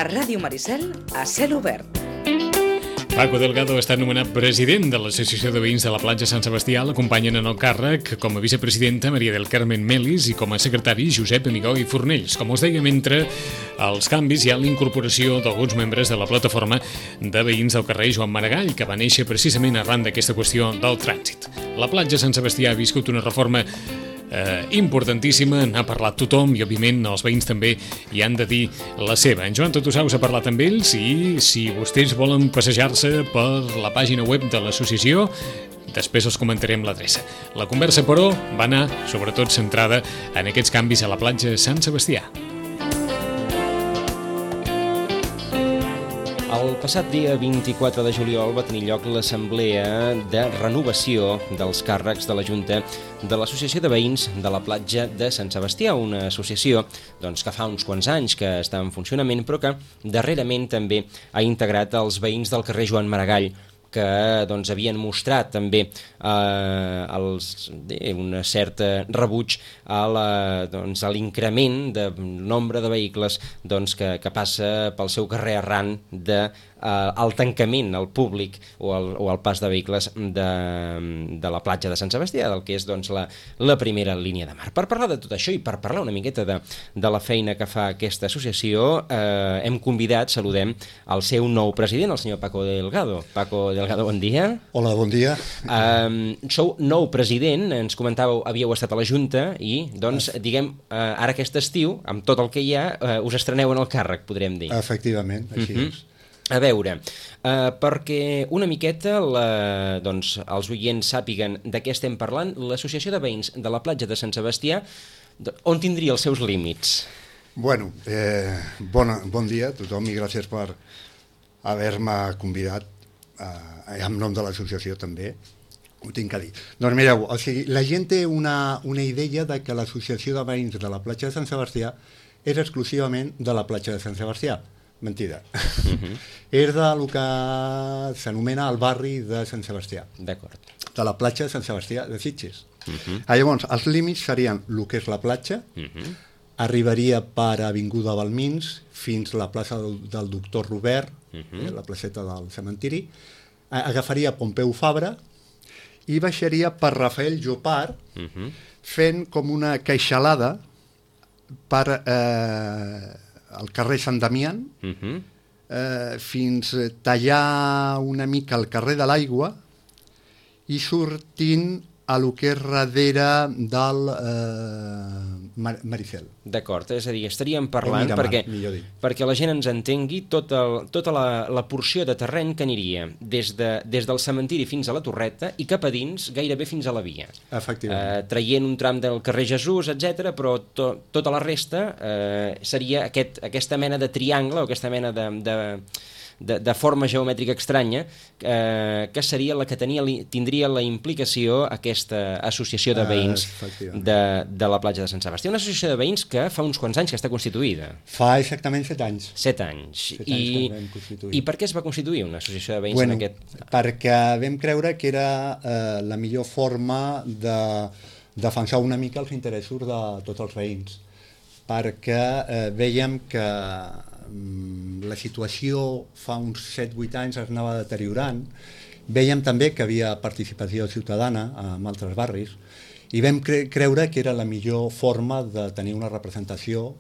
A Ràdio Maricel, a cel obert. Paco Delgado està nomenat president de l'Associació de Veïns de la Platja Sant Sebastià. L'acompanyen en el càrrec com a vicepresidenta Maria del Carmen Melis i com a secretari Josep Amigó i Fornells. Com us dèiem, entre els canvis hi ha l'incorporació d'alguns membres de la plataforma de veïns del carrer Joan Maragall, que va néixer precisament arran d'aquesta qüestió del trànsit. La Platja Sant Sebastià ha viscut una reforma importantíssima, n'ha parlat tothom i òbviament els veïns també hi han de dir la seva. En Joan Totosaus ha parlat amb ells i si vostès volen passejar-se per la pàgina web de l'associació, després els comentarem l'adreça. La conversa, però, va anar sobretot centrada en aquests canvis a la platja Sant Sebastià. El passat dia 24 de juliol va tenir lloc l'assemblea de renovació dels càrrecs de la Junta de l'Associació de Veïns de la Platja de Sant Sebastià, una associació que fa uns quants anys que està en funcionament, però que darrerament també ha integrat els veïns del carrer Joan Maragall, que havien mostrat també un cert rebuig a l'increment del nombre de vehicles que passa pel seu carrer arran al tancament al públic o al pas de vehicles de la platja de Sant Sebastià, del que és la primera línia de mar. Per parlar de tot això i per parlar una miqueta de la feina que fa aquesta associació, hem convidat, saludem, el seu nou president, el senyor Paco Delgado. Paco Delgado, bon dia. Hola, bon dia. Sou nou president, ens comentàveu, havíeu estat a la Junta i, ara aquest estiu, amb tot el que hi ha, us estreneu en el càrrec, podríem dir. Efectivament, així és. A veure, perquè una miqueta els oients sàpiguen de què estem parlant, l'Associació de Veïns de la Platja de Sant Sebastià, on tindria els seus límits? Bueno, bon dia a tothom i gràcies per haver-me convidat en nom de l'associació també. Ho tinc que dir. Doncs mireu, la gent té una idea de que l'Associació de Veïns de la Platja de Sant Sebastià és exclusivament de la platja de Sant Sebastià. Mentida. És del que s'anomena el barri de Sant Sebastià. D'acord. De la platja de Sant Sebastià de Sitges. Llavors, els límits serien el que és la platja, arribaria per Avinguda Balmins fins a la plaça del Doctor Robert, la placeta del cementiri, agafaria Pompeu Fabra i baixaria per Rafael Llopart, fent com una queixalada per al carrer Sant Damián, fins a tallar una mica el carrer de l'Aigua i sortint a lo que és darrere del Maricel. D'acord, és a dir, estaríem parlant, perquè la gent ens entengui, tota la porció de terreny que aniria des del cementiri fins a la Torreta i cap a dins gairebé fins a la via. Efectivament. Traient un tram del carrer Jesús, etc, però tota la resta seria aquesta mena de triangle o aquesta mena de forma geomètrica estranya que seria la que tindria la implicació aquesta associació de veïns de la platja de Sant Sebastià. Una associació de veïns que fa uns quants anys que està constituïda. Fa exactament 7 anys. 7 anys. I per què es va constituir una associació de veïns en aquest... Perquè vam creure que era la millor forma de defensar una mica els interessos de tots els veïns. Perquè vèiem que la situació fa uns 7-8 anys es anava deteriorant. Vèiem també que havia participació ciutadana en altres barris i vam creure que era la millor forma de tenir una representació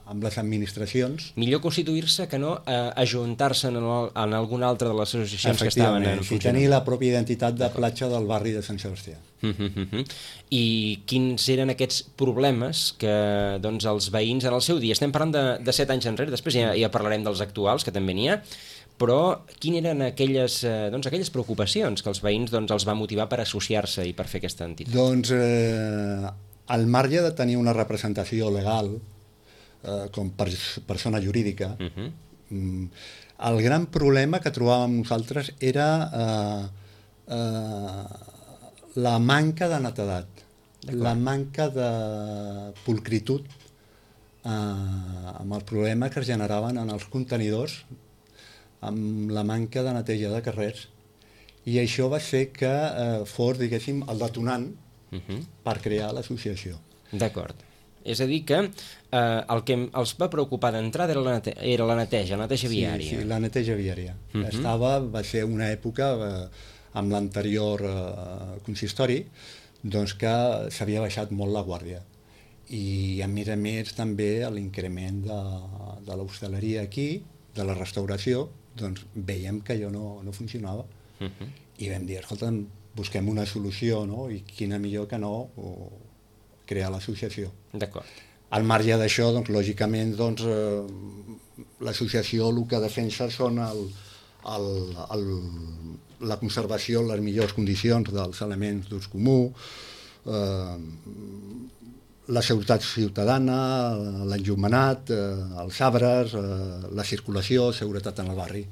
amb les administracions. Millor constituir-se que no ajuntar-se en alguna altra de les associacions que estaven en funcionament. I tenir la pròpia identitat de platja del barri de Sant Sebastià. I quins eren aquests problemes que els veïns en el seu dia, estem parlant de 7 anys enrere, després ja parlarem dels actuals, que també n'hi ha, però quines eren aquelles preocupacions que els veïns els va motivar per associar-se i per fer aquesta entitat? Doncs al marge de tenir una representació legal com persona jurídica, el gran problema que trobàvem nosaltres era la manca de netedat, la manca de pulcritud amb els problemes que es generaven en els contenidors, amb la manca de neteja de carrers, i això va ser que fos, diguéssim, el detonant per crear l'associació. D'acord. És a dir que el que els va preocupar d'entrada era la neteja viària. Sí, la neteja viària. Va ser una època, amb l'anterior consistori, doncs que s'havia baixat molt la guàrdia. I a més també l'increment de l'hostaleria aquí, de la restauració, doncs veiem que allò no funcionava. I vam dir, escolta, busquem una solució, no? I quina millor que no crear l'associació. D'acord. Al marge d'això, doncs, lògicament, doncs, l'associació el que defensa són la conservació en les millors condicions dels elements d'ús comú, la seguretat ciutadana, l'enllumenat, els arbres, la circulació, seguretat en el barri.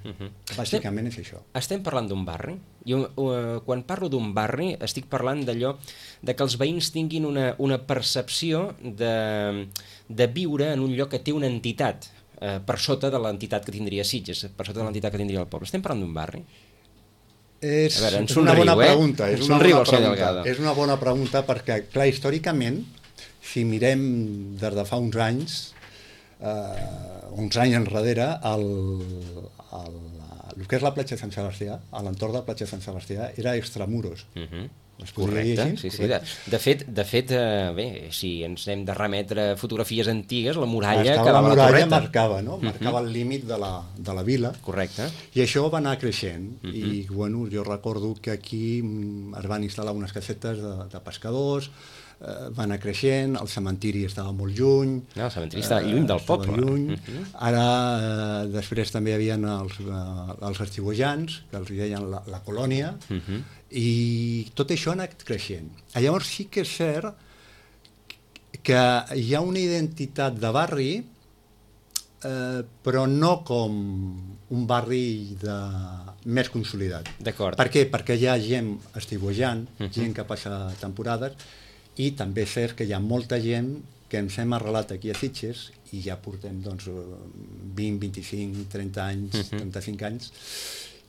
Bàsicament és això. Estem parlant d'un barri. Quan parlo d'un barri estic parlant d'allò que els veïns tinguin una percepció de viure en un lloc que té una entitat per sota de l'entitat que tindria Sitges, per sota de l'entitat que tindria el poble. Estem parlant d'un barri? És una bona pregunta. És una bona pregunta perquè, clar, històricament, si mirem des de fa uns anys enrere, el que és la platja de Sant Sebastià, a l'entorn de la platja de Sant Sebastià, era extramuros. Correcte, sí. De fet, bé, si ens hem de remetre a fotografies antigues, la muralla quedava a la torreta. Marcava el límit de la vila. Correcte. I això va anar creixent. I, bueno, jo recordo que aquí es van instal·lar unes casetes de pescadors, va anar creixent, el cementiri estava molt lluny. No, el cementiri estava lluny del poble. Lluny. Ara, després també hi havia els estiuejants, que els deien la colònia, i tot això ha anat creixent. Llavors sí que és cert que hi ha una identitat de barri, però no com un barri més consolidat. D'acord. Per què? Perquè hi ha gent estiuejant, gent que passa temporades, i també és cert que hi ha molta gent que ens hem arrelat aquí a Sitges i ja portem 20, 25, 30 anys, 35 anys,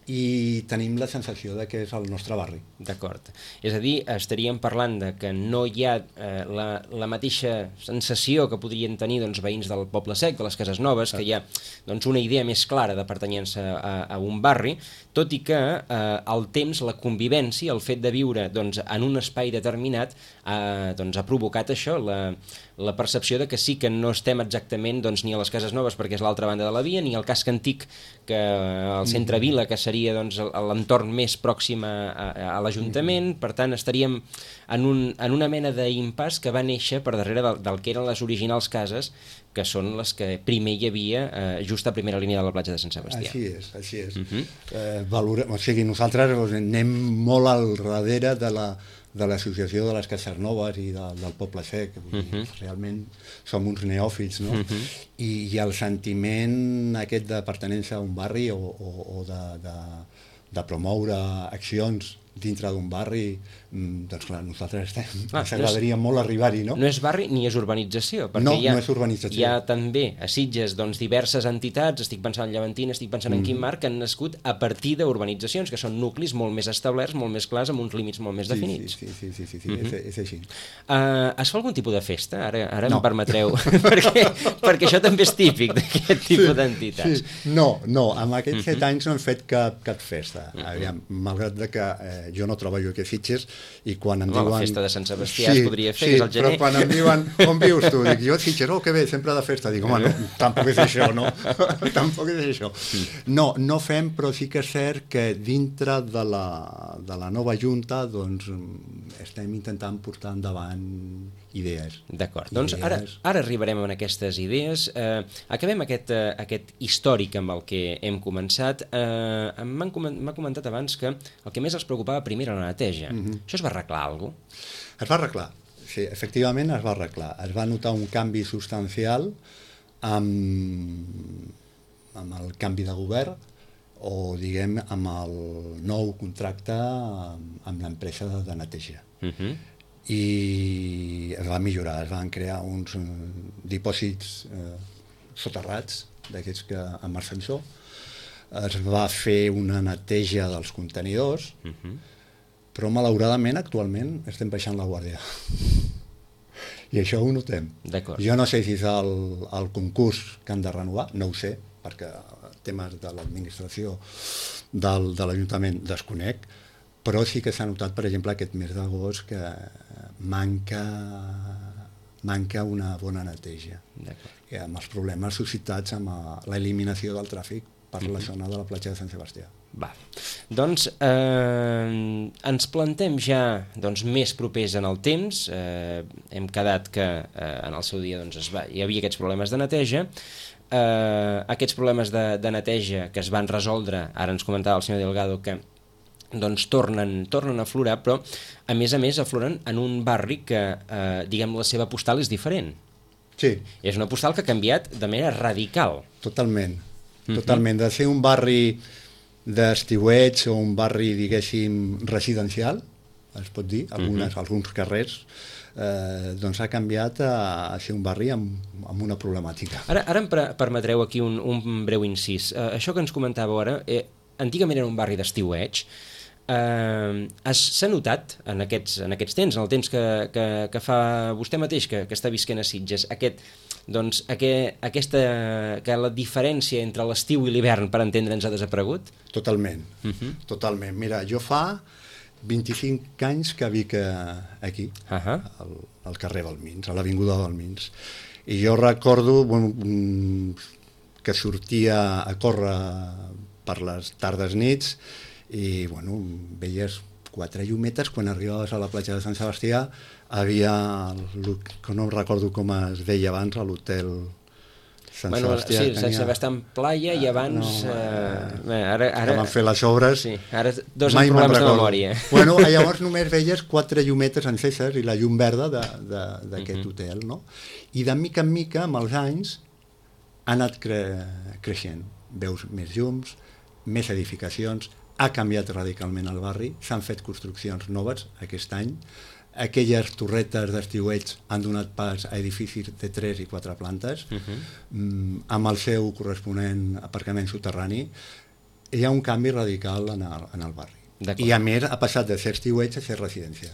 i tenim la sensació de que és el nostre barri. D'acord. És a dir, estaríem parlant de que no hi ha la mateixa sensació que podrien tenir veïns del Poble Sec, de les Cases Noves, que hi ha una idea més clara de pertanyença a un barri, tot i que el temps, la convivència, el fet de viure en un espai determinat ha provocat això, la percepció de que sí que no estem exactament ni a les Cases Noves perquè és l'altra banda de la via, ni al casc antic, que al centre vila, que seria l'entorn més pròxim a l'Ajuntament. Per tant, estaríem en una mena d'impàs que va néixer per darrere del que eren les originals cases, que són les que primer hi havia just a primera línia de la platja de Sant Sebastià. Així és. O sigui, nosaltres anem molt al darrere de l'associació de les Cases Noves i del Poble Sec. Realment som uns neòfits, no? I el sentiment aquest de pertenença a un barri o de promoure accions dintre d'un barri, doncs clar, nosaltres ens agradaria molt arribar-hi, no? No és barri ni és urbanització, perquè no és urbanització. Hi ha també a Sitges diverses entitats, estic pensant en Llevantina, estic pensant en Quim Marc, que han nascut a partir d'urbanitzacions, que són nuclis molt més establerts, molt més clars, amb uns límits molt més definits. Sí, és així. Es fa algun tipus de festa? Ara em permetreu, perquè això també és típic d'aquest tipus d'entitats. No, amb aquests 7 anys no hem fet cap festa, malgrat que jo no treballo aquí a Sitges i quan em diuen... La festa de Sant Sebastià es podria fer, és al gener. Però quan em diuen on vius tu, dic jo a Sitges, que bé, sempre de festa, dic home, no, tampoc és això, no? Tampoc és això. No fem, però sí que és cert que dintre de la nova Junta doncs estem intentant portar endavant idees. D'acord, doncs ara arribarem a aquestes idees. Acabem aquest històric amb el que hem començat. M'ha comentat abans que el que més els preocupava primer era la neteja. Això es va arreglar alguna cosa? Es va arreglar, sí, efectivament es va arreglar. Es va notar un canvi substancial amb el canvi de govern o, diguem, amb el nou contracte amb l'empresa de neteja. I es va millorar, es van crear uns dipòsits soterrats, d'aquests que amb ascensor, es va fer una neteja dels contenidors, però malauradament actualment estem baixant la guàrdia. I això ho notem. D'acord. Jo no sé si és el concurs que han de renovar, no ho sé, perquè temes de l'administració de l'Ajuntament desconec, però sí que s'ha notat, per exemple, aquest mes d'agost que manca una bona neteja. I amb els problemes suscitats amb l'eliminació del tràfic per la zona de la platja de Sant Sebastià. Va. Doncs ens plantem ja més propers en el temps. Hem quedat que en el seu dia hi havia aquests problemes de neteja. Aquests problemes de neteja que es van resoldre, ara ens comentava el senyor Delgado que tornen a aflorar, però a més afloren en un barri que diguem la seva postal és diferent. Sí. És una postal que ha canviat de manera radical. Totalment. De ser un barri d'estiueig o un barri, diguéssim, residencial, es pot dir, alguns carrers, doncs ha canviat a ser un barri amb una problemàtica. Ara em permetreu aquí un breu incís. Això que ens comentàveu ara, antigament era un barri d'estiueig. S'ha notat en aquests temps, en el temps que fa vostè mateix, que està visquent a Sitges, que la diferència entre l'estiu i l'hivern, per entendre'ns, ha desaparegut? Totalment. Mira, jo fa 25 anys que vic aquí, al carrer Balmins, a l'avinguda Balmins. I jo recordo que sortia a córrer per les tardes nits i veies 4 llumetes. Quan arribaves a la platja de Sant Sebastià havia, que no recordo com es deia abans, l'hotel Sant Sebastià. Sí, Sant Sebastià en Playa i abans... que van fer les obres. Sí, ara dos amb problemes de memòria. Llavors només veies 4 llumetes enceses i la llum verda d'aquest hotel, no? I de mica en mica, amb els anys, ha anat creixent. Veus més llums, més edificacions, ha canviat radicalment el barri, s'han fet construccions noves aquest any, aquelles torretes d'estiueig han donat pas a edificis de 3 i 4 plantes, amb el seu corresponent aparcament soterrani. Hi ha un canvi radical en el barri. I a més ha passat de ser estiueig a ser residència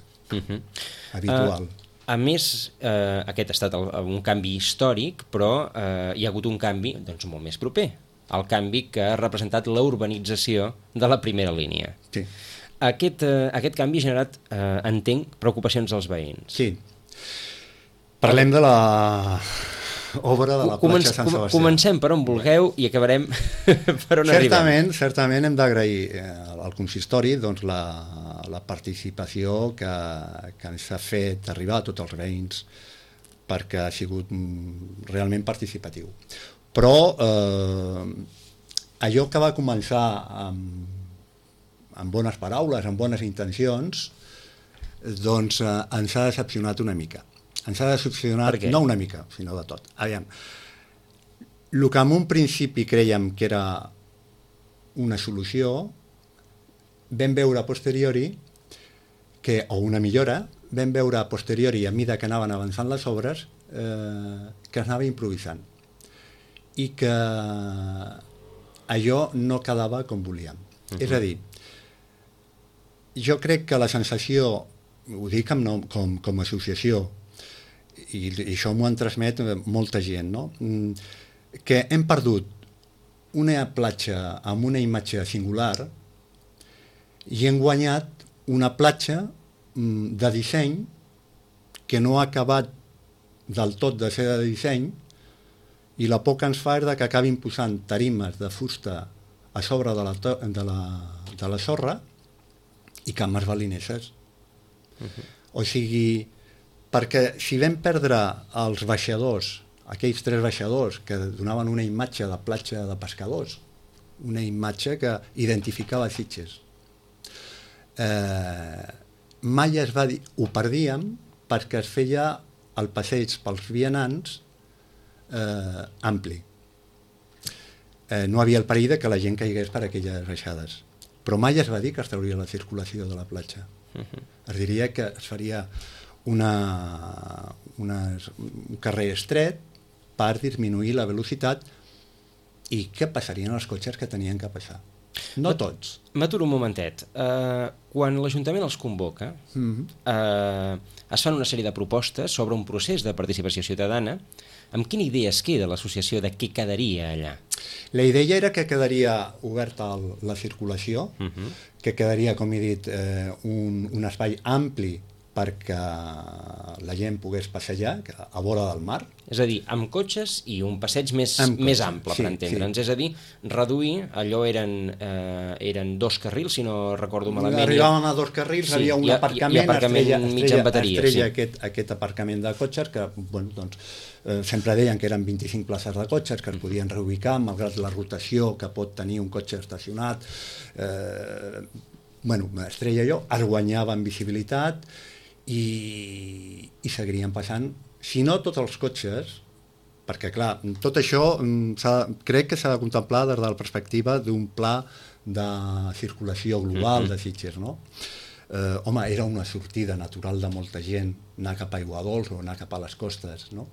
habitual. A més, aquest ha estat un canvi històric, però hi ha hagut un canvi molt més proper, el canvi que ha representat la urbanització de la primera línia. Sí. Aquest canvi ha generat, entenc, preocupacions als veïns. Sí. Parlem de l'obra de la platja de Sant Sebastià. Comencem per on vulgueu i acabarem per on arribem. Certament hem d'agrair al consistori la participació que ens ha fet arribar a tots els veïns, perquè ha sigut realment participatiu. Però allò que va començar amb bones paraules, amb bones intencions, doncs ens ha decepcionat una mica. Ens ha decepcionat, no una mica, sinó de tot. Aviam, el que en un principi creiem que era una solució, vam veure a posteriori, o una millora, vam veure a posteriori, a mesura que anaven avançant les obres, que es anava improvisant. I que allò no quedava com volíem. És a dir, jo crec que la sensació, ho dic com a associació, i això m'ho han transmet molta gent, no? Que hem perdut una platja amb una imatge singular i hem guanyat una platja de disseny que no ha acabat del tot de ser de disseny, i la por que ens fa és que acabin posant tarimes de fusta a sobre de la sorra i cames balineses. O sigui, perquè si vam perdre els baixadors, aquells 3 baixadors que donaven una imatge de platja de pescadors, una imatge que identificava Sitges, mai es va dir, ho perdíem perquè es feia el passeig pels vianants ampli. No havia el perill que la gent caigués per aquelles baixades, però mai es va dir que es trauria la circulació de la platja. Es diria que es faria un carrer estret per disminuir la velocitat i què passarien els cotxes que tenien que passar. No tots. M'aturo un momentet. Quan l'Ajuntament els convoca, es fan una sèrie de propostes sobre un procés de participació ciutadana. Amb quina idea es queda l'associació de què quedaria allà? La idea era que quedaria oberta la circulació, que quedaria, com he dit, un espai ampli perquè la gent pogués passejar a vora del mar. És a dir, amb cotxes i un passeig més ample, per entendre'ns. És a dir, reduir, allò eren 2 carrils, si no recordo malament. Arribaven a 2 carrils, hi havia un aparcament, i aparcament mig amb bateria. Aquest aparcament de cotxes que, bueno, doncs, sempre deien que eren 25 places de cotxes que es podien reubicar, malgrat la rotació que pot tenir un cotxe estacionat. Estrella i jo es guanyava en visibilitat i seguirien passant, si no tots els cotxes, perquè clar, tot això crec que s'ha de contemplar des de la perspectiva d'un pla de circulació global de Sitges, no? Era una sortida natural de molta gent anar cap a Aiguadols o anar cap a les costes, no?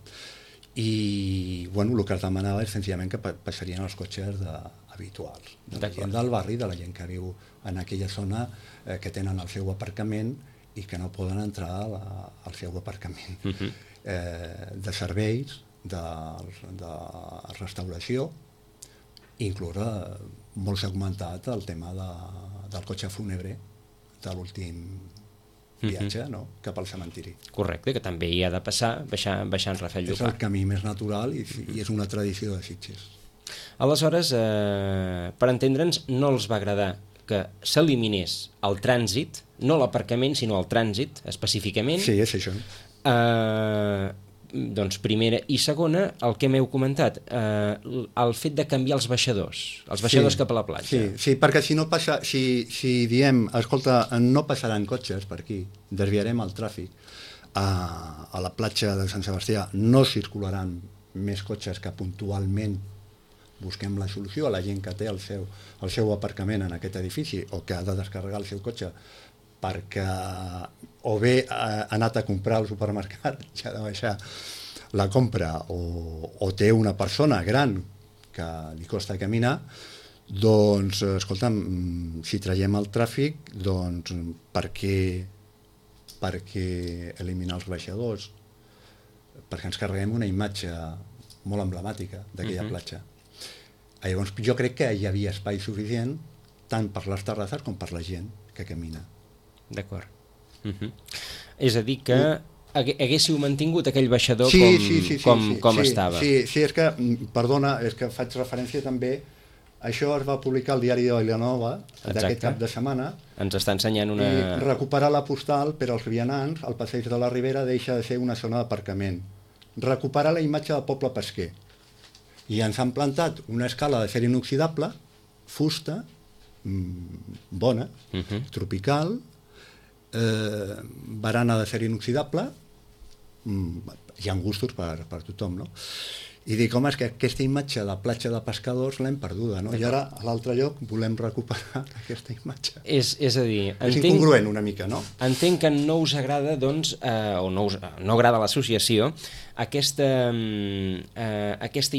I el que es demanava és senzillament que passarien els cotxes habituals, de la gent del barri, de la gent que viu en aquella zona que tenen el seu aparcament i que no poden entrar al seu aparcament. De serveis, de restauració, inclús molt s'ha comentat el tema del cotxe fúnebre de l'últim viatge, no? Cap al cementiri. Correcte, que també hi ha de passar baixant Rafael Llopart. És el camí més natural i és una tradició de Sitges. Aleshores, per entendre'ns, no els va agradar que s'eliminés el trànsit, no l'aparcament, sinó el trànsit, específicament. Sí, és això. Doncs primera i segona, el que m'heu comentat, el fet de canviar els baixadors cap a la platja. Sí, perquè si no passa, si diem, escolta, no passaran cotxes per aquí, desviarem el tràfic a la platja de Sant Sebastià, no circularan més cotxes que puntualment busquem la solució a la gent que té el seu aparcament en aquest edifici o que ha de descarregar el seu cotxe perquè o bé ha anat a comprar al supermercat, ja ha de baixar la compra, o té una persona gran que li costa caminar, doncs, escolta'm, si traiem el tràfic, doncs, per què eliminar els baixadors? Perquè ens carreguem una imatge molt emblemàtica d'aquella platja. Llavors, jo crec que hi havia espai suficient tant per les terrasses com per la gent que camina. D'acord. És a dir que haguéssiu mantingut aquell baixador com estava. Sí, és que, perdona, és que faig referència també, això es va publicar al diari de Vilanova d'aquest cap de setmana. Ens està ensenyant una... I recuperar la postal per als vianants al passeig de la Ribera deixa de ser una zona d'aparcament. Recuperar la imatge del poble pesquer. I ens han plantat una escala de ser inoxidable, fusta, bona, tropical, barana de ser inoxidable, hi ha gustos per tothom, no? I dic, home, és que aquesta imatge de platja de pescadors l'hem perduda, no? I ara, a l'altre lloc, volem recuperar aquesta imatge. És a dir... És incongruent una mica, no? Entenc que no us agrada, doncs, o no agrada a l'associació, aquesta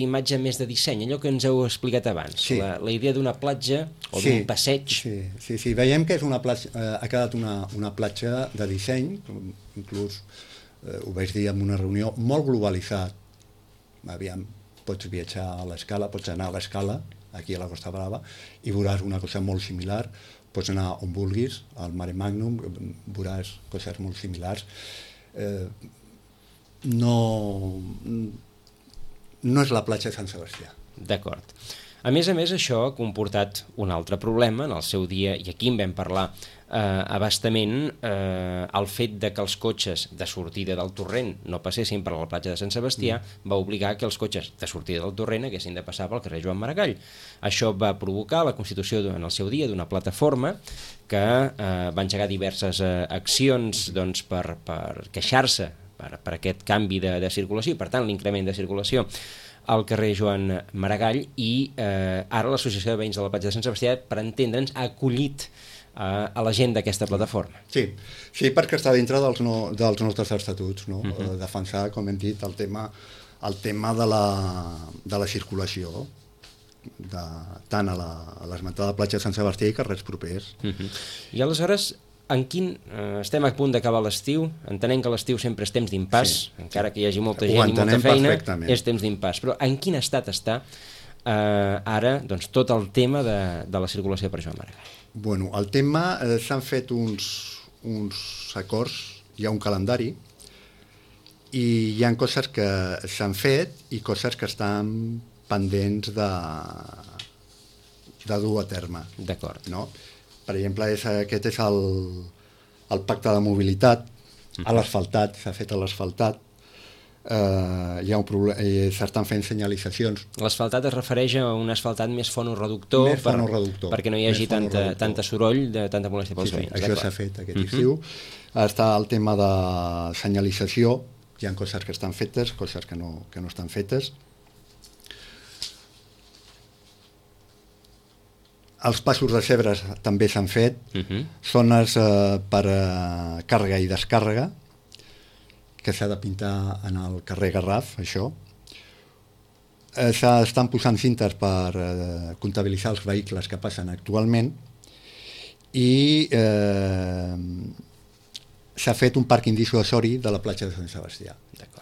imatge més de disseny, allò que ens heu explicat abans, la idea d'una platja o d'un passeig. Sí, veiem que és ha quedat una platja de disseny, inclús ho vaig dir en una reunió, molt globalitzat. Aviam, pots viatjar a l'Escala, pots anar a l'Escala, aquí a la Costa Brava, i veuràs una cosa molt similar, pots anar on vulguis, al Mare Magnum, veuràs coses molt similars. No és la platja de Sant Sebastià. D'acord. A més, això ha comportat un altre problema en el seu dia, i aquí en vam parlar abastament, el fet de que els cotxes de sortida del torrent no passessin per la platja de Sant Sebastià va obligar que els cotxes de sortida del torrent haguessin de passar pel carrer Joan Maragall. Això va provocar la constitució en el seu dia d'una plataforma que va engegar diverses accions doncs, per queixar-se per aquest canvi de circulació i per tant l'increment de circulació al carrer Joan Maragall, i ara l'Associació de Veïns de la Platja de Sant Sebastià, per entendre'ns, ha acollit a la gent d'aquesta plataforma. Sí, perquè està dintre dels nostres estatuts, no? Defensar, com hem dit, el tema de la circulació. tant a l'esmentada platja de Sant Sebastià i carrers propers. I aleshores, estem a punt d'acabar l'estiu, entenem que l'estiu sempre és temps d'impàs, encara que hi hagi molta gent i molta feina, és temps d'impàs, però en quin estat està ara doncs, tot el tema de la circulació per Joan Maragall? Bueno, el tema, s'han fet uns acords, hi ha un calendari, i hi ha coses que s'han fet i coses que estan pendents de dur a terme. D'acord. No? Per exemple, aquest és el pacte de mobilitat, a l'asfaltat, s'ha fet a l'asfaltat, hi ha un problema, s'estan fent senyalitzacions. L'asfaltat es refereix a un asfaltat més fonoreductor, perquè no hi hagi tanta soroll, tanta molèstia pels veïns. Això s'ha fet aquest estiu. Està el tema de senyalització, hi ha coses que estan fetes, coses que no estan fetes. Els passos de zebres també s'han fet, zones per càrrega i descàrrega, que s'ha de pintar en el carrer Garraf, això. S'estan posant cintes per comptabilitzar els vehicles que passen actualment i s'ha fet un pàrquing dissuasori de la platja de Sant Sebastià,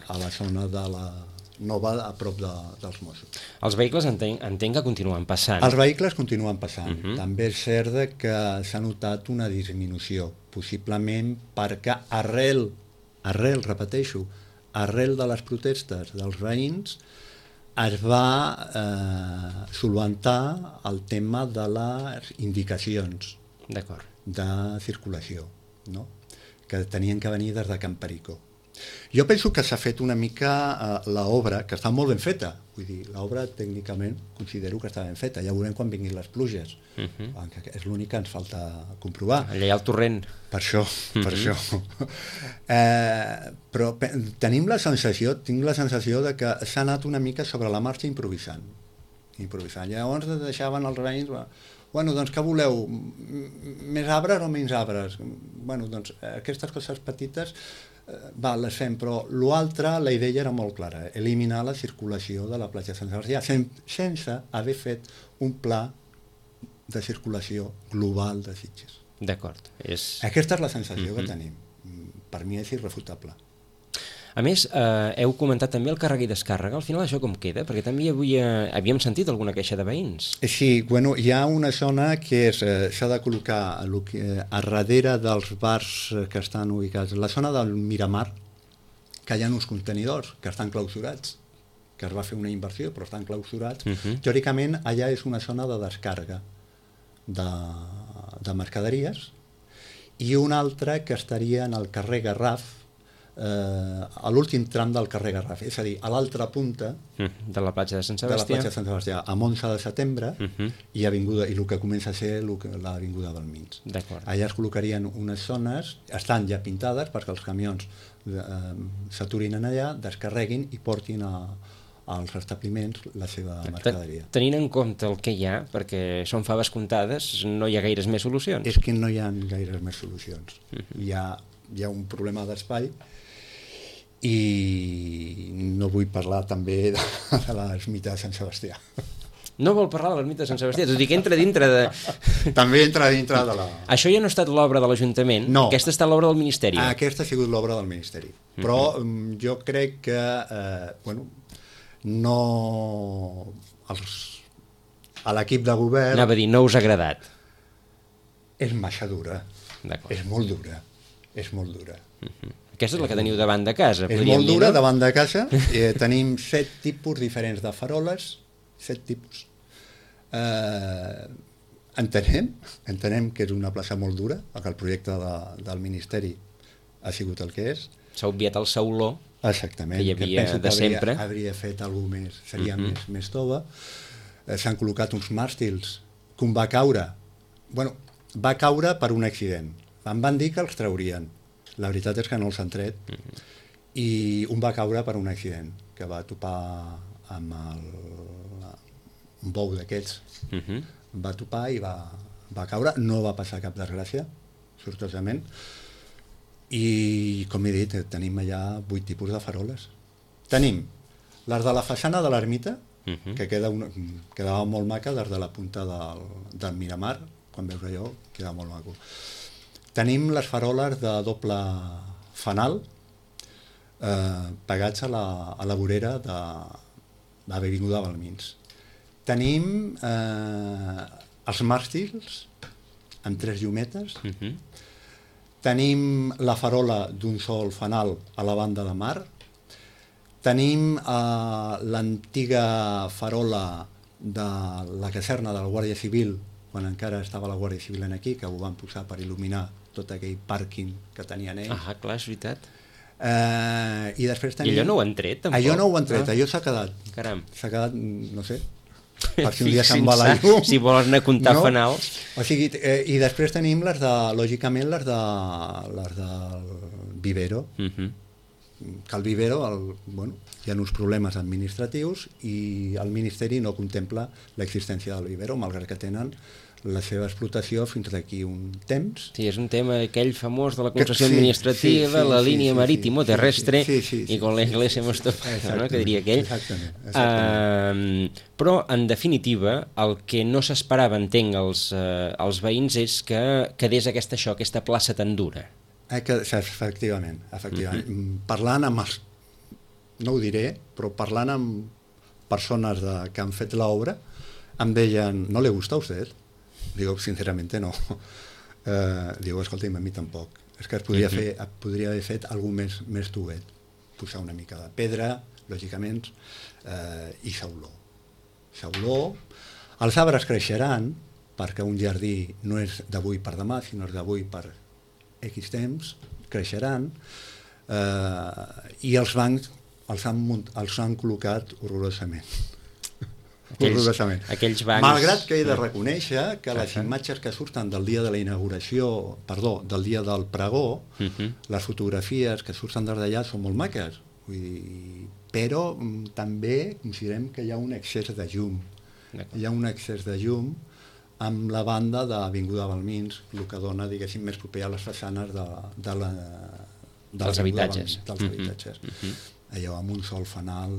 a la zona de la nova, a prop dels Mossos. Els vehicles entenc que continuen passant. Els vehicles continuen passant. També és cert que s'ha notat una disminució, possiblement perquè arrel, repeteixo, arrel de les protestes dels veïns es va solventar el tema de les indicacions de circulació, no? Que tenien que venir des de Can Perico. Jo penso que s'ha fet una mica l'obra, que està molt ben feta, vull dir, l'obra tècnicament considero que està ben feta, ja veurem quan vinguin les pluges, és l'únic que ens falta comprovar. Allà hi ha el torrent. Per això. Però tinc la sensació de que s'ha anat una mica sobre la marxa improvisant. Llavors deixaven els veïns, bueno, doncs què voleu? Més arbres o menys arbres? Bueno, doncs aquestes coses petites les fem, però l'altre, la idea era molt clara, eliminar la circulació de la platja de Sant Sebastià, sense haver fet un pla de circulació global de Sitges. D'acord. Aquesta és la sensació que tenim. Per mi és irrefutable. A més, heu comentat també el càrrega i descàrrega. Al final això com queda? Perquè també avui havíem sentit alguna queixa de veïns. Sí, bueno, hi ha una zona que s'ha de col·locar a darrere dels bars que estan ubicats. La zona del Miramar, que hi ha uns contenidors que estan clausurats, que es va fer una inversió però estan clausurats. Teòricament, allà és una zona de descàrrega de mercaderies i una altra que estaria en el carrer Garraf, a l'últim tram del carrer Garraf, és a dir, a l'altra punta de la platja de Sant Sebastià, de la platja de Sant Sebastià, amb 11 de setembre i el que comença a ser l'avinguda Balmins. Allà es col·locarien unes zones, estan ja pintades perquè els camions s'aturin allà, descarreguin i portin als establiments la seva mercaderia. Tenint en compte el que hi ha, perquè són faves comptades, no hi ha gaires més solucions. És que no hi ha gaires més solucions. Hi ha un problema d'espai i no vull parlar també de l'ermita de Sant Sebastià. No vol parlar de l'ermita de Sant Sebastià, tot i que entra dintre de... També entra dintre de la... Això ja no ha estat l'obra de l'Ajuntament, no. Aquesta ha estat l'obra del Ministeri. Aquesta ha sigut l'obra del Ministeri, però jo crec que no... a l'equip de govern... Anava a dir, no us ha agradat. És massa dura, és molt dura. Aquesta és la que teniu davant de casa. És molt dura, davant de casa. Tenim 7 tipus diferents de faroles, 7 tipus. Entenem que és una plaça molt dura, que el projecte del Ministeri ha sigut el que és. S'ha obviat el sauló que hi havia de sempre. Hauria fet alguna més, seria més tova. S'han col·locat uns màstils que un va caure. Bueno, va caure per un accident. Em van dir que els traurien. La veritat és que no els han tret. I un va caure per un accident, que va topar amb un bou d'aquests. Va topar i va caure. No va passar cap desgràcia, sortosament. I, com he dit, tenim allà 8 tipus de faroles. Tenim les de la façana de l'ermita, que quedava molt maca des de la punta del Miramar, quan veus allò, quedava molt maco. Tenim les faroles de doble fanal pegats a la vorera de l'Avinguda Balmins. Tenim els màstils amb 3 llumetes. Tenim la farola d'un sol fanal a la banda de mar. Tenim l'antiga farola de la caserna de la Guàrdia Civil, quan encara estava la Guàrdia Civil aquí, que ho van posar per il·luminar tot aquell pàrquing que tenien ells. Ah, clar, és veritat. I després tenim... I allò no ho han tret, tampoc? Allò no ho han tret, allò s'ha quedat. Caram. S'ha quedat, no sé, per si un dia se'n va la llum. Si vols anar a comptar fanals. O sigui, i després tenim lògicament, les del vivero. Que el vivero, hi ha uns problemes administratius i el Ministeri no contempla l'existència del vivero, malgrat que tenen la seva explotació fins d'aquí un temps. Sí, és un tema aquell famós de la concessió administrativa, la línia marítimo-terrestre i con la iglesia hemos topado, no? Que diria aquell. Exactament. Però, en definitiva, el que no s'esperava, entenc, els veïns és que quedés aquesta plaça tan dura. Efectivament. Parlant amb els... No ho diré, però parlant amb persones que han fet l'obra, em deien, ¿no le gusta a usted? Digo, sinceramente no. Digo, escolta'm, a mi tampoc. És que es podria haver fet alguna més tovet. Posar una mica de pedra, lògicament, i sauló. Sauló. Els arbres creixeran, perquè un jardí no és d'avui per demà, sinó és d'avui per X temps, creixeran, i els bancs els han col·locat horrorosament. Aquells bancs... Malgrat que he de reconèixer que les imatges que surten del dia de la inauguració, del dia del pregó, les fotografies que surten des d'allà són molt maques, però també considerem que hi ha un excés de llum. Hi ha un excés de llum amb la banda d'Avinguda Balmins, el que dona, diguéssim, més proper a les façanes dels habitatges. Allò amb un sol fanal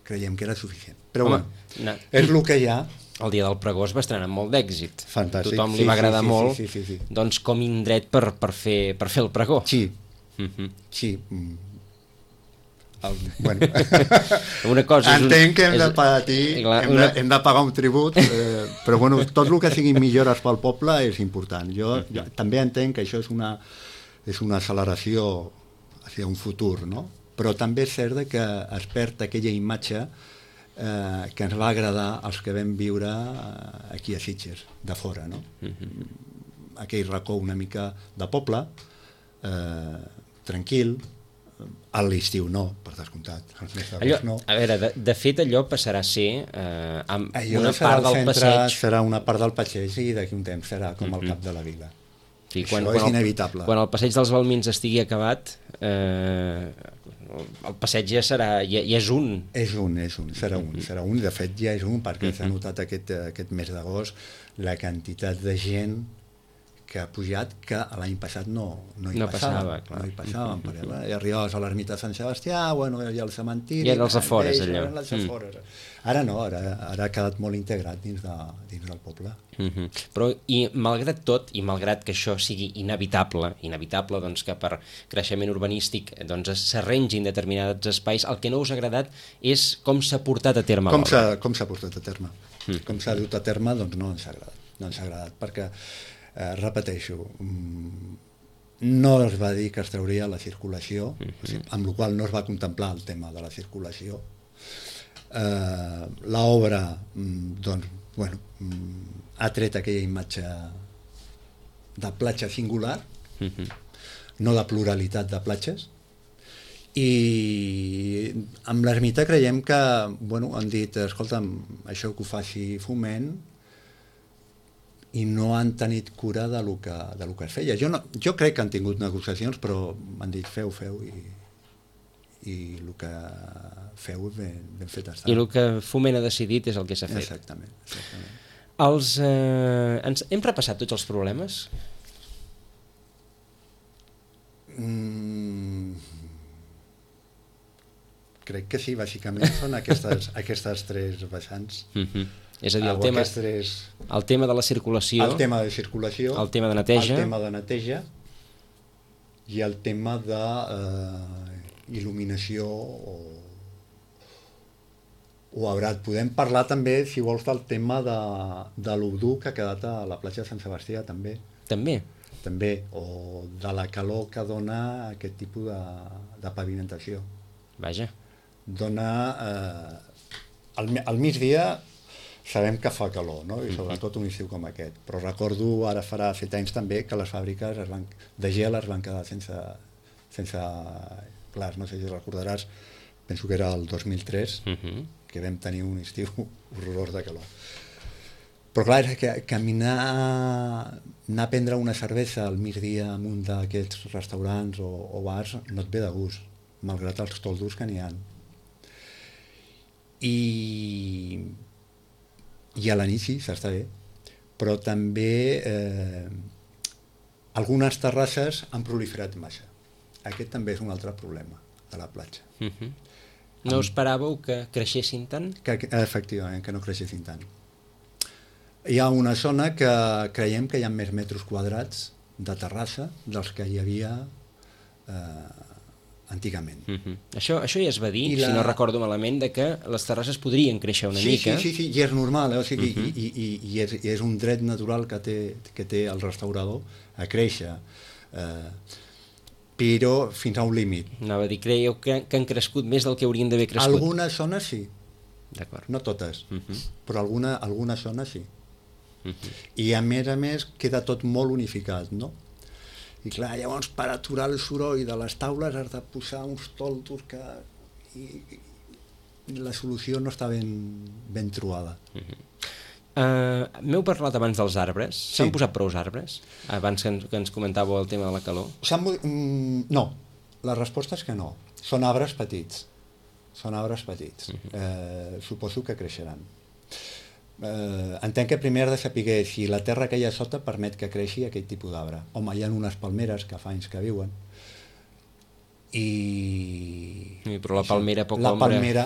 creiem que era suficient. Però és el que hi ha. El dia del pregó es va estrenar amb molt d'èxit. Fantàstic. Tothom li va agradar molt, doncs com indret per fer el pregó. Sí. Bueno. Una cosa entenc que hem de patir, hem de pagar un tribut, però bueno, tot el que siguin millores pel poble és important. Jo també entenc que això és una acceleració hacia un futur, no? Però també és cert que es perd aquella imatge que ens va agradar als que vam viure aquí a Sitges, de fora, no? Aquell racó una mica de poble, tranquil, a l'estiu no, per descomptat. A veure, de fet allò passarà a ser una part del passeig. Serà una part del passeig i d'aquí un temps serà com el cap de la vila. Sí, això és inevitable. Quan el passeig dels Balmins estigui acabat, el passeig ja és un. Serà un. De fet ja és un, perquè s'ha notat aquest mes d'agost la quantitat de gent que ha pujat, que l'any passat no hi passaven. I arribaves a l'ermita de Sant Sebastià, i al cementiri... I als afores, allò. Ara no, ara ha quedat molt integrat dins del poble. Però, i malgrat tot, i malgrat que això sigui inevitable, doncs que per creixement urbanístic s'arrengin determinats espais, el que no us ha agradat és com s'ha portat a terme l'obra. Com s'ha portat a terme. Com s'ha dut a terme, doncs no ens ha agradat, perquè repeteixo, no es va dir que es trauria la circulació, amb la qual no es va contemplar el tema de la circulació. L'obra ha tret aquella imatge de platja singular, no de pluralitat de platges, i amb l'ermita creiem que han dit, escolta'm, això que ho faci Foment, i no han tenit cura de lo que es feia. Jo crec que han tingut negociacions, però m'han dit feu i el que feu ben fet està. I el que Foment ha decidit és el que s'ha fet. Exactament. Hem repassat tots els problemes? crec que sí, bàsicament són aquestes tres vessants. És a dir, el tema de la circulació, el tema de circulació, el tema de neteja, i el tema de il·luminació o arbrat. Podem parlar també, si vols, del tema de l'Udú que ha quedat a la platja de Sant Sebastià, també. També, o de la calor que dona aquest tipus de pavimentació. Vaja. Dona... al migdia sabem que fa calor, no? I sobretot un estiu com aquest. Però recordo, ara farà 7 anys també, que les fàbriques de gel es van quedar sense glaç. No sé si recordaràs, penso que era el 2003, que vam tenir un estiu horrorós de calor. Però clar, és que anar a prendre una cervesa al migdia en un d'aquests restaurants o bars no et ve de gust, malgrat els toldos que n'hi ha. I a la nit sí, s'està bé, però també algunes terrasses han proliferat massa. Aquest també és un altre problema de la platja. No esperàveu que creixessin tant? Efectivament, que no creixessin tant. Hi ha una zona que creiem que hi ha més metres quadrats de terrassa dels que hi havia antigament. Això ja es va dir, si no recordo malament, de que les terrasses podrien créixer una mica. Sí, i és normal, o sigui, i és un dret natural que té el restaurador a créixer, però fins a un límit. Anava a dir, creieu que han crescut més del que haurien d'haver crescut? Algunes zones sí, no totes, però algunes zones sí. I a més queda tot molt unificat, no? I clar, llavors per aturar el soroll de les taules has de posar uns toldos que... I la solució no està ben trobada. M'heu parlat abans dels arbres. S'han posat prou arbres? Abans que ens comentàveu el tema de la calor. No, la resposta és que no. Són arbres petits. Suposo que creixeran. Entenc que primer has de saber si la terra que hi ha sota permet que creixi aquest tipus d'arbre. Home, hi ha unes palmeres que fa anys que viuen però la palmera poca ombra.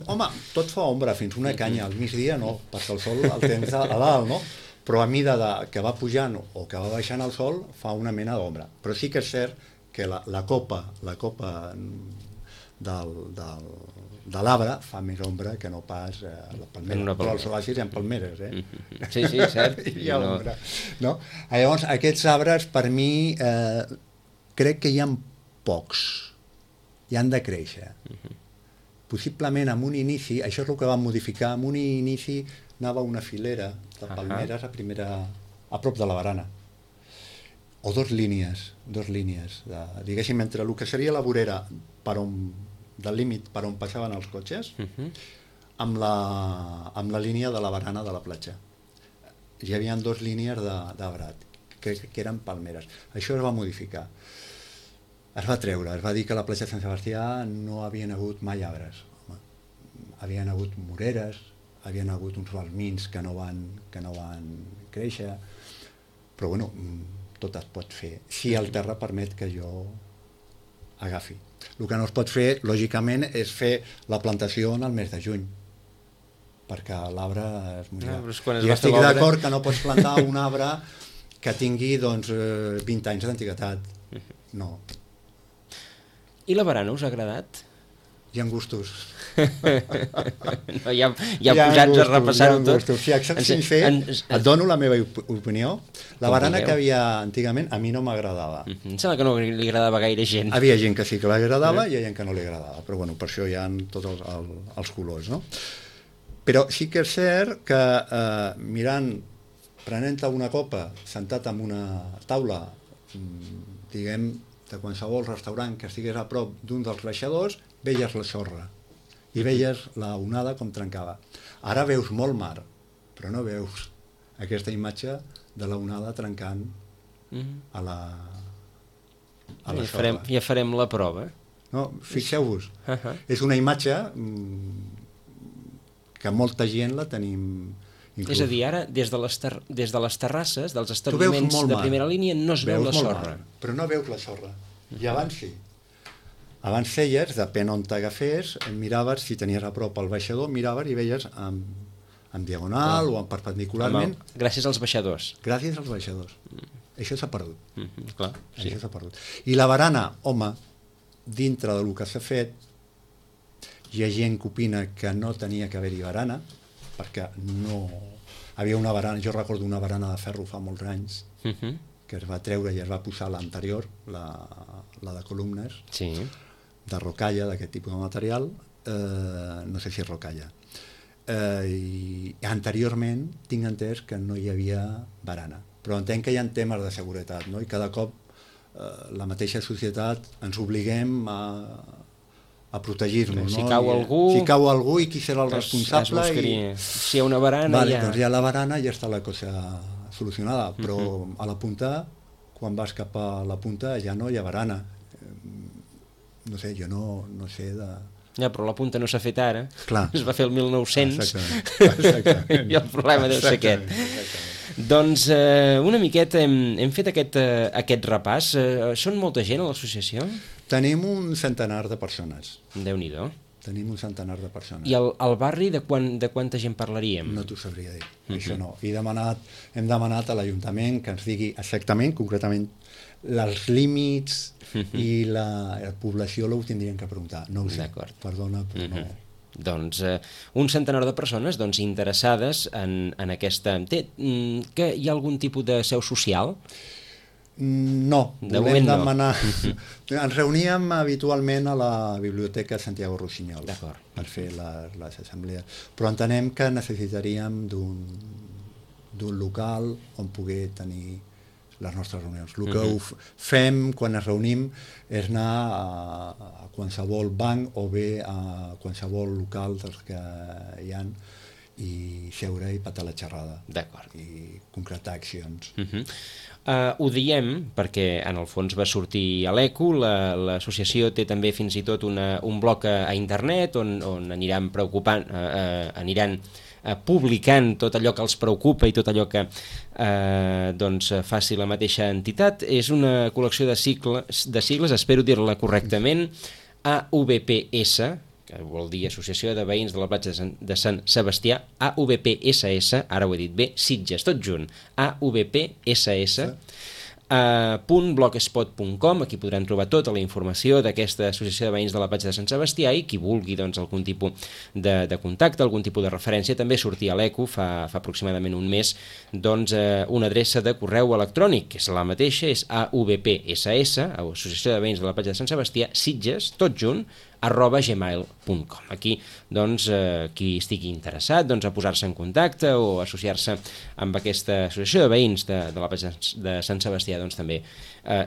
Home, tot fa ombra, fins una canya al migdia no, perquè el sol el tens a dalt, no? Però a mida que va pujant o que va baixant el sol fa una mena d'ombra. Però sí que és cert que la copa de l'arbre fa més ombra que no pas la palmera. Però als oasis hi ha palmeres, eh? Sí, cert. Hi ha ombra. No? Llavors, aquests arbres, per mi, crec que hi ha pocs. I han de créixer. Possiblement, en un inici, això és el que vam modificar, en un inici anava una filera de palmeres a prop de la barana. O dos línies, diguéssim, entre el que seria la vorera del límit per on passaven els cotxes, amb la línia de la barana de la platja. Hi havia dues línies d'arbrat, que eren palmeres. Això es va modificar. Es va treure, es va dir que a la platja de Sant Sebastià no havien hagut mai arbres. Havien hagut moreres, havien hagut uns balmins que no van créixer, però bueno, tot es pot fer, si el terra permet que jo agafi. El que no es pot fer, lògicament, és fer la plantació en el mes de juny, perquè l'arbre es morirà. I estic d'acord que no pots plantar un arbre que tingui 20 anys d'antiguitat. No. I la barana us ha agradat? Hi ha gustos. No, ja posats a repassar-ho tot. Si et soc sincer, et dono la meva opinió. La barana que havia antigament a mi no m'agradava. Em sembla que no li agradava gaire gent. Havia gent que sí que l'agradava i hi ha gent que no li agradava, però bueno, per això hi ha tots els colors, no? Però sí que és cert que prenent-te una copa, sentat en una taula, diguem, de qualsevol restaurant que estigués a prop d'un dels baixadors, veies la sorra i veies la onada com trencava. Ara veus molt mar, però no veus aquesta imatge de la onada trencant a la sorra. Ja farem la prova. No, fixeu-vos, és una imatge que molta gent la tenim inclús. És a dir, ara, des de les terrasses, dels establiments de primera línia, no es veu la sorra. Però no veus la sorra. I abans sí. Abans feies, depèn on t'agafés, miraves, si tenies a prop el baixador, miraves i veies en diagonal o en perpendicularment. Gràcies als baixadors. Gràcies als baixadors. Això s'ha perdut. Clar, sí. Això s'ha perdut. I la barana, home, dintre del que s'ha fet, hi ha gent que opina que no tenia que haver-hi barana, perquè no... Havia una barana, jo recordo una barana de ferro fa molts anys, que es va treure i es va posar l'anterior, la de columnes, Sí. de rocalla, d'aquest tipus de material, no sé si és rocalla. I anteriorment tinc entès que no hi havia barana, però entenc que hi ha temes de seguretat, no? I cada cop la mateixa societat ens obliguem a protegir-nos. Si no? cau algú... Si cau algú i qui serà el responsable... Si hi ha una barana, vale, ja... doncs hi ha la barana i ja està la cosa solucionada, però a la punta, quan vas cap a la punta ja no hi ha barana. No sé, jo no sé de... Ja, però la punta no s'ha fet ara. Clar. Es va fer el 1900. Exactament. I el problema deu ser aquest. Doncs una miqueta hem fet aquest repàs. Són molta gent a l'associació? Tenim un centenar de persones. Déu-n'hi-do. Tenim un centenar de persones. I al barri de quanta gent parlaríem? No t'ho sabria dir, això no. Hem demanat a l'Ajuntament que ens digui exactament, concretament, els límits i la població ho tindrien que preguntar. No ho sé, perdona, però no. Doncs un centenar de persones interessades en aquesta... Que hi ha algun tipus de seu social? No, de volem moment no. demanar... Ens reuníem habitualment a la Biblioteca Santiago Rossinyol per fer les assemblees, però entenem que necessitaríem d'un local on poder tenir les nostres reunions. El que fem quan ens reunim és anar a qualsevol banc o bé a qualsevol local dels que hi ha i seure i patar la xerrada. D'acord. I concretar accions. Ho diem perquè en el fons va sortir a l'ECO, l'associació té també fins i tot un bloc a internet on aniran publicant tot allò que els preocupa i tot allò que faci la mateixa entitat. És una col·lecció de sigles, espero dir-la correctament, AVPS, que vol dir Associació de Veïns de la Platja de Sant Sebastià, AVPSS, ara ho he dit bé, Sitges, tot junt, AVPSS, .blogspot.com, aquí podran trobar tota la informació d'aquesta Associació de Veïns de la Platja de Sant Sebastià i qui vulgui algun tipus de contacte, algun tipus de referència, també sortia a l'ECO fa aproximadament un mes una adreça de correu electrònic, que és la mateixa, és AVPSS, Associació de Veïns de la Platja de Sant Sebastià, Sitges, tot junt, @gmail.com. Aquí, qui estigui interessat a posar-se en contacte o associar-se amb aquesta associació de veïns de la platja de Sant Sebastià, també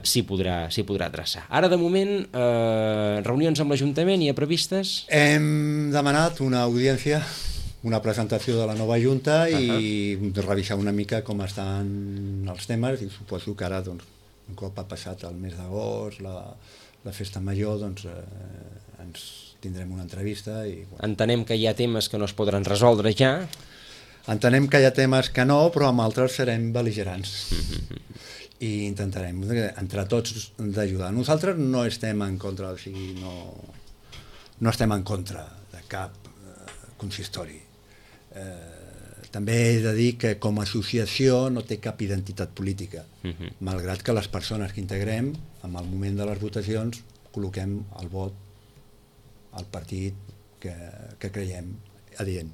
s'hi podrà adreçar. Ara, de moment, reunions amb l'Ajuntament hi ha previstes? Hem demanat una audiència, una presentació de la nova Junta i revisar una mica com estan els temes i suposo que ara, un cop ha passat el mes d'agost, la festa major, ens tindrem una entrevista i... Entenem que hi ha temes que no es podran resoldre ja. Entenem que hi ha temes que no, però amb altres serem bel·ligerants. I intentarem, entre tots, d'ajudar. Nosaltres no estem en contra, o sigui, no estem en contra de cap consistori. També he de dir que com a associació no té cap identitat política, malgrat que les persones que integrem, en el moment de les votacions, col·loquem el vot al partit que creiem adient.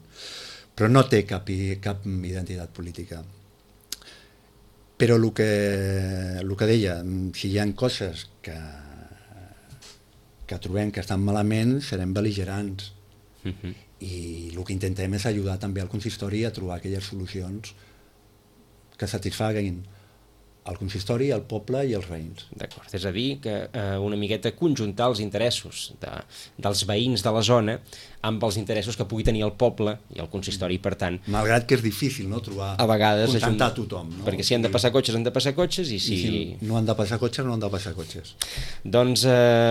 Però no té cap identitat política. Però el que deia, si hi ha coses que trobem que estan malament, serem bel·ligerants. I el que intentem és ajudar també al consistori a trobar aquelles solucions que satisfaguin el consistori, el poble i els veïns. D'acord, és a dir, que una miqueta conjuntar els interessos dels veïns de la zona amb els interessos que pugui tenir el poble i el consistori, per tant... Malgrat que és difícil, no?, trobar... A vegades... Contentar tothom, no? Perquè si han de passar cotxes, han de passar cotxes, i si no han de passar cotxes, no han de passar cotxes. Doncs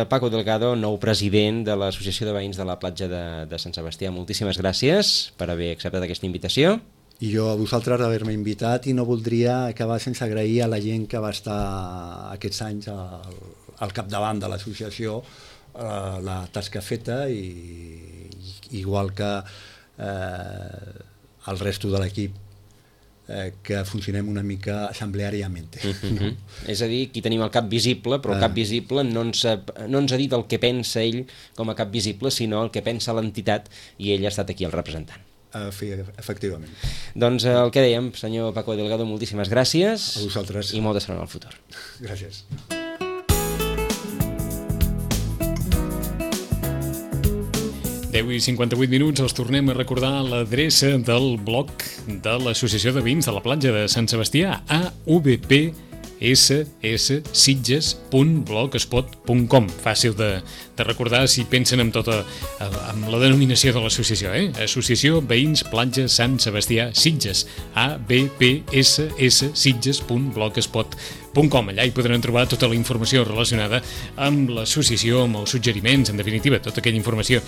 Paco Delgado, nou president de l'Associació de Veïns de la Platja de Sant Sebastià, moltíssimes gràcies per haver acceptat aquesta invitació. I jo a vosaltres d'haver-me invitat i no voldria acabar sense agrair a la gent que va estar aquests anys al capdavant de l'associació la tasca feta i igual que el resto de l'equip que funcionem una mica assembleàriament. No? És a dir, aquí tenim el cap visible, però el cap visible no ens ha dit el que pensa ell com a cap visible, sinó el que pensa l'entitat, i ell ha estat aquí el representant. Efectivament. Doncs el que dèiem, senyor Paco Delgado, moltíssimes gràcies. A vosaltres. I molta sort en el futur. Gràcies. 10:58, els tornem a recordar l'adreça del blog de l'Associació de Veïns de la Platja de Sant Sebastià, avpssitges.blogspot.com. Fàcil de recordar si pensen amb la denominació de l'associació, Associació Veïns Platja Sant Sebastià Sitges, avpssitges.blogspot.com. Allà hi podran trobar tota la informació relacionada amb l'associació, amb els suggeriments, en definitiva, tota aquella informació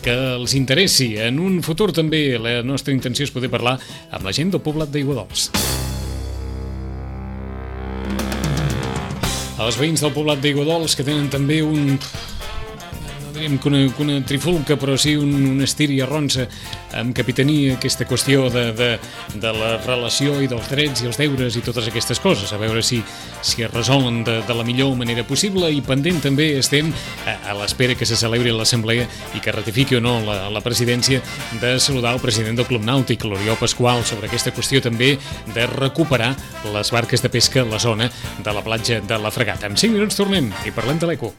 que els interessi. En un futur també la nostra intenció és poder parlar amb la gent del poblat d'Aiguadols. Els veïns del poblat d'Aiguadols, que tenen també no diríem que una trifulca, però sí un estir i arronsa amb capitania aquesta qüestió de la relació i dels drets i els deures i totes aquestes coses, a veure si es resolen de la millor manera possible, i pendent també estem a l'espera que se celebri l'assemblea i que ratifiqui o no la presidència, de saludar el president del Club Nàutic, l'Oriol Pasqual, sobre aquesta qüestió també de recuperar les barques de pesca a la zona de la platja de la Fregata. En 5 minuts tornem i parlem de l'Eco.